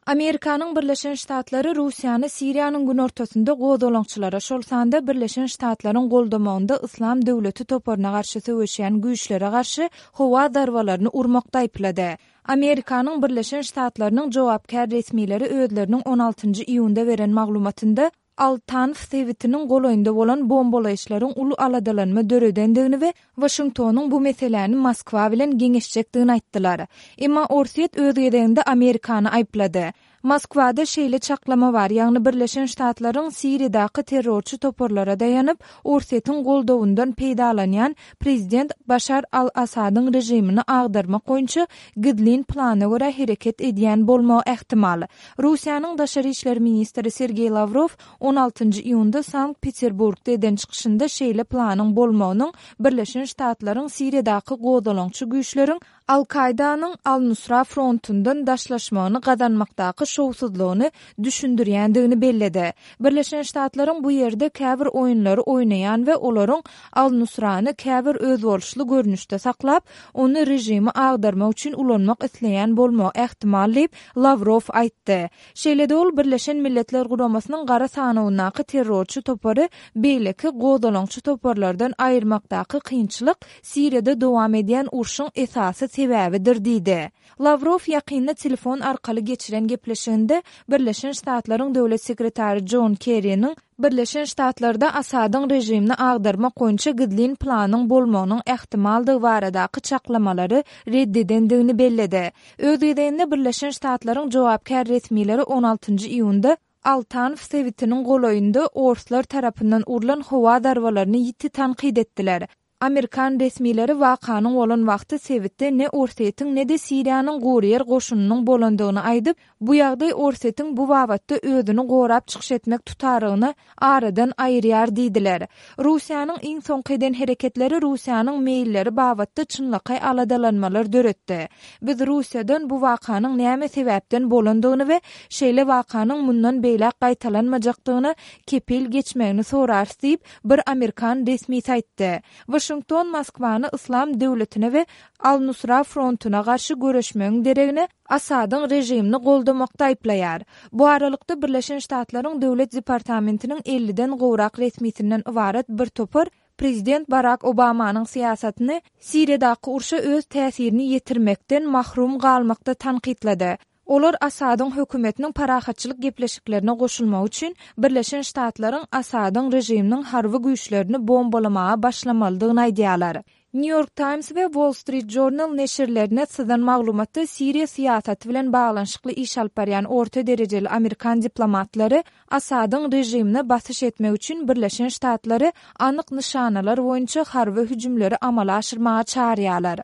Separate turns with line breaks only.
Amerikanyň Birleşen Ştatlary Russiýany Siriýanyň günortasynda gozgalaňçylara, şol sanda Birleşen Ştatlaryň goldamagynda Yslam döwleti toparyna garşy söweşýän güýçlere garşy howa zarbalaryny urmakda aýyplady. Amerikanyň Birleşen Ştatlarynyň jogapkär resmileri özleriniň on altynjy iýunda beren maglumatynda, Al-Tanf sebitiniň golaýynda bolan bombalaýyşlaryň uly aladalanma döredendigini we Waşingtonyň bu meseläni Moskwa bilen geňeşjekdigini aýtdylar. Emma Orsýet öz gezeginde Amerikany aýyplady. Moskwada şeýle çaklama bar, ýagny Birleşen Ştatlaryň Siriýadaky terrorçy toparlara daýanyp, Orsýetiň goldawyndan peýdalanýan prezident Başar al-Assadyň režimini agdarmak boýunça gizlin plana görä hereket edýän bolmagy ähtimal. Russiýanyň daşary işler ministri Sergeý Lawrow on altynjy iýunda Sankt-Peterburgda eden çykyşynda şeýle planyň bolmagynyň Birleşen Ştatlaryň Siriýadaky gozgalaňçy güýçleriň Al-Kaýdanyň Al-Nusra frontundan daşlaşmagyny gazanmakdaky şowsuzlygyny düşündirýändigini belledi. Birleşen Ştatlaryň bu ýerde käbir oýunlary oýnaýan we olaryň Al-Nusrany käbir özboluşly görnüşde saklap, ony režimi agdarmak üçin ulanmak isleýän bolmagy ähtimal diýip, Lawrow aýtdy. Şeýle-de ol Birleşen Milletler Guramasynyň gara sanawyndaky terrorçy topary beýleki gozgalaňçy toparlardan aýyrmakdaky kynçylyk Siriýada dowam edýän urşuň esasy sebäbidir diýdi. Lawrow ýakynda telefon arkaly geçiren gepleşiginde Birleşen Ştatlaryň Döwlet sekretary Jon Kerriniň Birleşen Ştatlarda Asadyň režimini agdarmak boýunça gizlin planyň bolmagynyň ähtimaldygy baradaky çaklamalary red edendigini belledi. Öz gezeginde Birleşen Ştatlaryň jogapkär resmileri on altynjy iýunda Al-Tanf sebitiniň golaýynda orslar tarapyndan urlan howa zarbalaryny ýiti tankyt etdiler. Amerikan resmileri wakanyň bolan wagty sebitde ne Orsýetiň, ne-de Siriýanyň guryýer goşunynyň bolandygyny aýdyp, bu ýagdaý Orsýetiň bu babatda özüni gorap çykyş etmek tutarygyny aradan aýyrýar diýdiler. Russiýanyň iň soňky eden hereketleri Russiýanyň meýilleri babatda çynlakaý aladalanmalar döretdi. Biz Russiýadan bu wakanyň näme sebäpden bolandygyny we şeýle wakanyň mundan beýläk gaýtalanmajakdygyna kepil geçmegini sorarys diýip, bir amerikan resmisi aýtdy. Waşington Moskwany Yslam döwletine we Al-Nusra frontuna garşy göreşmegiň deregine Asadyň režimini goldamakda aýyplaýar. Bu aralykda, Birleşen Ştatlaryň Döwlet departamentiniň elliden gowrak resmisinden ybarat bir topar prezident Barak Obamanyň syýasatyny Siriýadaky urşa öz täsirini ýetirmekden mahrum galmakda tankytlady. Olar Asadyň hökümetiniň parahatçylyk gepleşiklerine goşulmagy üçin Birleşen Ştatlaryň Asadyň režiminiň harby güýçlerini bombalamaga başlamalydygyny aýdýarlar. New York Times we Wall Street Journal neşirlerine syzan maglumatda Siriýa syýasaty bilen baglanyşykly iş alyp barýan orta derejeli amerikan diplomatlary Asadyň režimine basyş etmek üçin Birleşen Ştatlary anyk nyşanalar boýunça harby hüjümleri amala aşyrmaga çagyrýarlar.